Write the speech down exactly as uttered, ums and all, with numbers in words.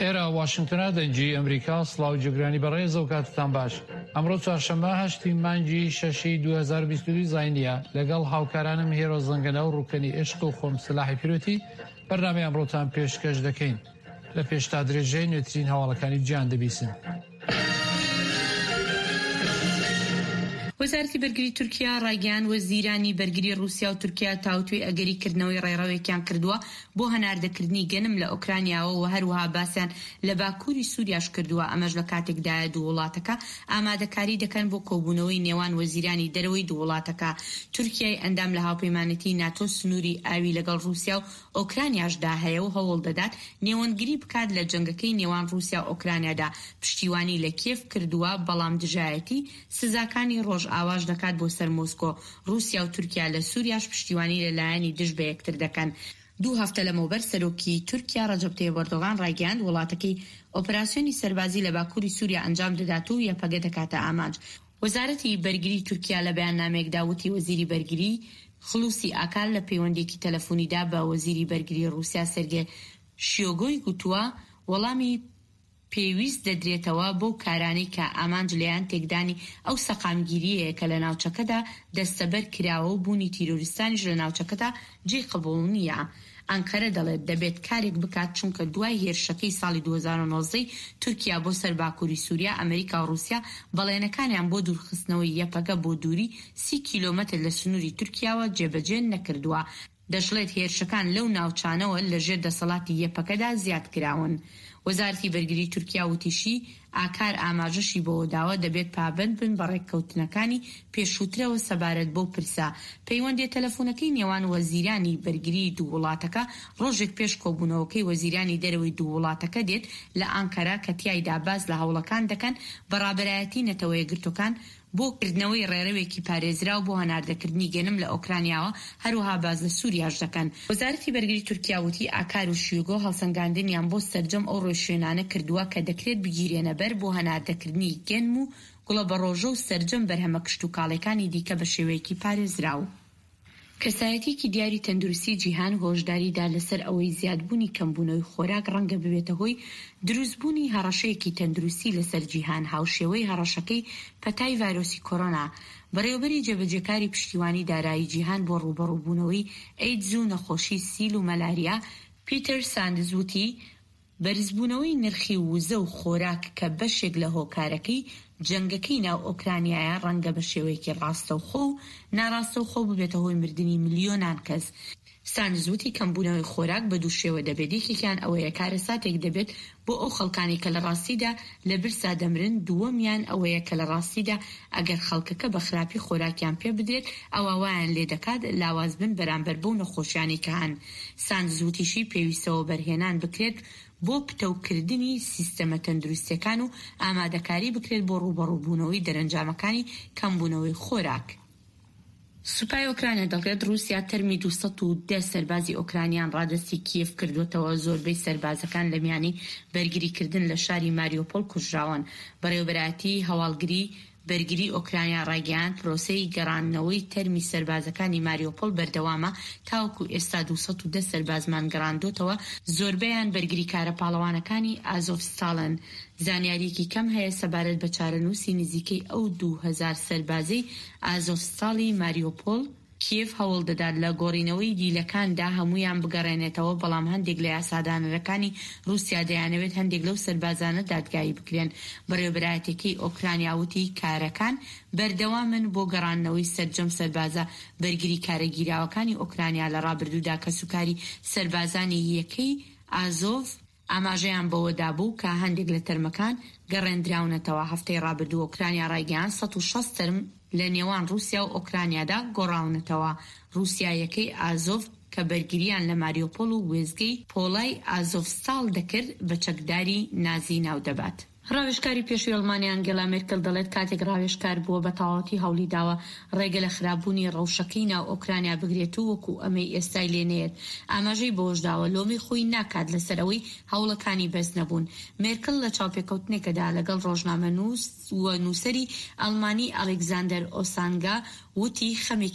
ئێرە واشنگتۆنە، دەنگی ئەمریکا. سڵاو جێگرانی بەڕێز و کاتتان باش. ئەمڕۆ چوارشەممە هەشتی مانگی شەشی دوو هەزار و بیست و دوو زاینیە. لەگەڵ هاوکارانم هێرۆ زەنگەنە و ڕوکەنی عشق و خۆم سلاحی پیرۆتی بەرنامەی ئەمڕۆتان پێشکەش دەکەین. لە پێشتا درێژەی نوێترین هەواڵەکانی جیهان دەبیسن. وەزارەتی بەرگری تورکیا ڕایگەیاند، وەزیرانی بەرگری ڕووسیا و تورکیا تاوتوێی ئەگەری کردنەوەی ڕێڕەوێکیان کردووە بۆ هەناردەکردنی گەنم لە ئۆکرانیاوە و هەروەها باسیان لە باکووری سووریاش کردووە، ئەمەش لە کاتێکدایە دوو وڵاتەکە ئامادەکاری دەکەن بۆ کۆبوونەوەی نێوان وەزیرانی دەرەوەی دوو وڵاتەکە. تورکیای ئەندام لە هاوپەیمانێتی ناتۆ سنووری ئاوی لەگەڵ ڕووسیا و ئۆکرانیاشدا هەیە و هەوڵ دەدات نێوەندگری بکات لە جەنگەکەی نێوان ڕووسیا و ئۆکرانیادا، پشتیوانی لە کیێڤ کردووە، بەڵام دژایەتی سزاکانی ڕۆژئاواش دەکات بۆ سەر مۆسکۆ. ڕووسیا و تورکیا لە سووریاش پشتیوانی لە لایەنی دژ بە یەکتر دەکەن. دوو هەفتە لەمەوبەر سەرۆکی تورکیا ڕەجەب تەیب ئەردۆغان ڕایگەیاند، وڵاتەکەی ئۆپراسیۆنی سەربازی لە باکووری سووریا ئەنجام دەدات و یەپەگە دەکاتە ئامانج. وەزارەتی بەرگری تورکیا لە بەیاننامەیەکدا وتی، وەزیری بەرگری خلوسی ئاکار لە پەیوەندییەکی تەلەفونیدا بە وەزیری بەرگری ڕووسیا سێرگێ شیۆگۆی گوتووە، وەڵامی پێویست دەدرێتەوە بەو کارانەی کە ئامانج لێیان تێکدانی ئەو سەقامگیرییەیە کە لە ناوچەکەدا دەستەبەر کراوە و بوونی تیرۆریستانیش لە ناوچەکەدا جێی قبوڵ نییە. ئەنقەرە دەڵێت دەبێت کارێک بکات چونکە دوای هێرشەکەی ساڵی دوو هەزار و نۆزدە ی تورکیا بۆ سەر باکوری سوریا، ئەمریکا و ڕوسیا بەڵێنەکانیان بۆ دوورخستنەوەی یەپەگە بۆ دووری سی کیلۆمەتر لە سنوری تورکیاوە جێبەجێ نەکردووە. دەشڵێت هێرشەکان لەو ناوچانەوە لەژێر دەسەڵاتی یەپەگەدا زیادکراون. وەزارەتی بەرگری تورکیا وتیشی، ئاکار ئاماژەشی بەوەداوە دەبێت پابەند بن بە ڕێککەوتنەکانی پێشووترەوە سەبارەت بەو پرسە. پەیوەندییە تەلەفونەکەی نێوان وەزیرانی بەرگری دوو وڵاتەکە ڕۆژێک پێش کۆبوونەوەکەی وەزیرانی دەرەوەی دوو وڵاتەکە دێت لە ئانکەرە کە تیایدا باس لە هەوڵەکان دەکەن بە ڕابەرایەتی نەتەوەیەکگرتووەکان بۆ کردنەوەی ڕێرەوێکی پارێزراو بۆ هەناردەکردنی گەنم لە ئۆکرانیاوە، هەروەها باس لە سوریاش دەکەن. وەزارەتی بەرگری تورکیا وتی، ئاکار و شیوگۆ هەڵسەنگاندنیان بۆ سەرجەم ئەو ڕێوشوێنانە کردووە کە دەکرێت بگیرێنەبەر بۆ هەناردەکردنی گەنم و گوڵەبەڕۆژە و سەرجەم بەرهەمە کشتوکاڵیەکانی دیکە بە شێوەیەکی پارێزراو. کەسایەتیەکی دیاری تەندروستی جیهان هۆشداری دا لەسەر ئەوەی زیادبوونی کەمبوونەوەی خۆراک ڕەنگە ببێتە هۆی دروستبوونی هەڕەشەیەکی تەندروستی لەسەر جیهان هاوشێوەی هەڕەشەکەی پەتای ڤایرۆسی کۆرۆنا. بەڕێوەبەری جێبەجێکاری پشتیوانی دارایی جیهان بۆ ڕووبەڕووبوونەوەی ئەیدز و نەخۆشی سیل و مەلاریا، پیتەر ساندز وتی، بەرزبوونەوەی نرخی وزە و خۆراک کە بەشێک لە هۆکارەکەی جەنگەکەی ناو ئۆکرانیایە ڕەنگە بە شێوەیەکی ڕاستەوخۆ و ناڕاستەوخۆ ببێتە هۆی مردنی ملیۆنان کەس. ساندز وتی کەمبوونەوەی خۆراک بە دوو شێوە دەبێت، یەکێکیان ئەوەیە کارەساتێک دەبێت بۆ ئەو خەڵکانەی کە لە ڕاستیدا لە برسا دەمرن، دووەمیان ئەوەیە کە لە ڕاستیدا ئەگەر خەڵکەکە بە خراپی خۆراکیان پێ بدرێت ئەوا وایان لێدەکات لاواز بن بەرامبەر بەو نەخۆشیانەی کە هەن. ساندز وتیشی پێویستە وەبەرهێنان بکرێت بۆ پتەوکردنی سیستەمە تەندروستیەکان و ئامادەکاری بکرێت بۆ ڕووبەڕووبوونەوەی دەرەنجامەکانی کەمبوونەوەی خۆراک. سوپای ئۆکرانیا دەڵێت ڕووسیا تەرمی دوو سەد و دە سەربازی ئۆکرانیان ڕادەستی کیێڤ کردووەتەوە، زۆربەی سەربازەکان لە میانی بەرگریکردن لە شاری ماریۆپۆل کوژراون. بەڕێوەبەرایەتی هەواڵگری بەرگری ئۆکرانیا ڕایگەیاند، پرۆسەی گەڕاندنەوەی تەرمی سەربازەکانی ماریۆپۆل بەردەوامە، تاوەکو ئێستا دوو سەد و دە سەربازمان گەڕاندۆتەوە، زۆربەیان بەرگریکارە پاڵەوانەکانی ئازۆڤستاڵن. زانیارییەکی کەم هەیە سەبارەت بە چارەنووسی نزیکەی ئەو دوو هەزار سەربازەی ئازۆڤستاڵی ماریۆپۆل. کیێڤ هەوڵدەدات لە گۆڕینەوەی دیلەکاندا هەموویان بگەڕێنێتەوە، بەڵام هەندێک لە یاسادانەرەکانی رووسیا دەیانەوێت هەندێک لەو سەربازانە دادگایی بکرێن. بەڕێوەبەرایەتیەکەی ئۆکرانیا وتی کارەکان بەردەوامن بۆ گەڕاندنەوەی سەرجەم سەربازە بەرگریکارە گیراوەکانی ئۆکرانیا. لە رابردوودا کەسوکاری سەربازانی یەکەی ئازۆڤ ئاماژەیان بەوەدابوو کە هەندێک لە تەرمەکان گەڕێندراونەتەوە. هەفتەی رابردوو ئۆکرانیا رایگەیاند سەد و شەست تەرم لە نێوان رووسیا و ئۆکرانیادا گۆڕاونەتەوە. رووسیا یەکەی ئازۆڤ کە بەرگرییان لە ماریۆپۆل و وێستگەی پۆڵای ئازۆڤستاڵ دەکرد بە چەکداری نازی ناودەبات. ڕاوێژکاری پێشووی ئەڵمانیا ئەنگێلا مێرکل دەڵێت کاتێک ڕاوێژکار بووە بە تەواوەتی هەوڵیداوە ڕێگە لە خراپبوونی ڕەوشەکەی ناو ئۆکرانیا بگرێت و وەکو ئەمەی ئێستای لێ نەیەت. ئاماژەی بەوەشداوە لۆمەی خۆی ناکات لەسەر ئەوەی هەوڵەکانی بەس نەبوون. مێرکل لە چاوپێکەوتنێکەدا لەگەڵ ڕۆژنامەنووس و نووسەری ئەڵمانی ئەلێکزاندەر ئۆسانگا وتی خەمێکی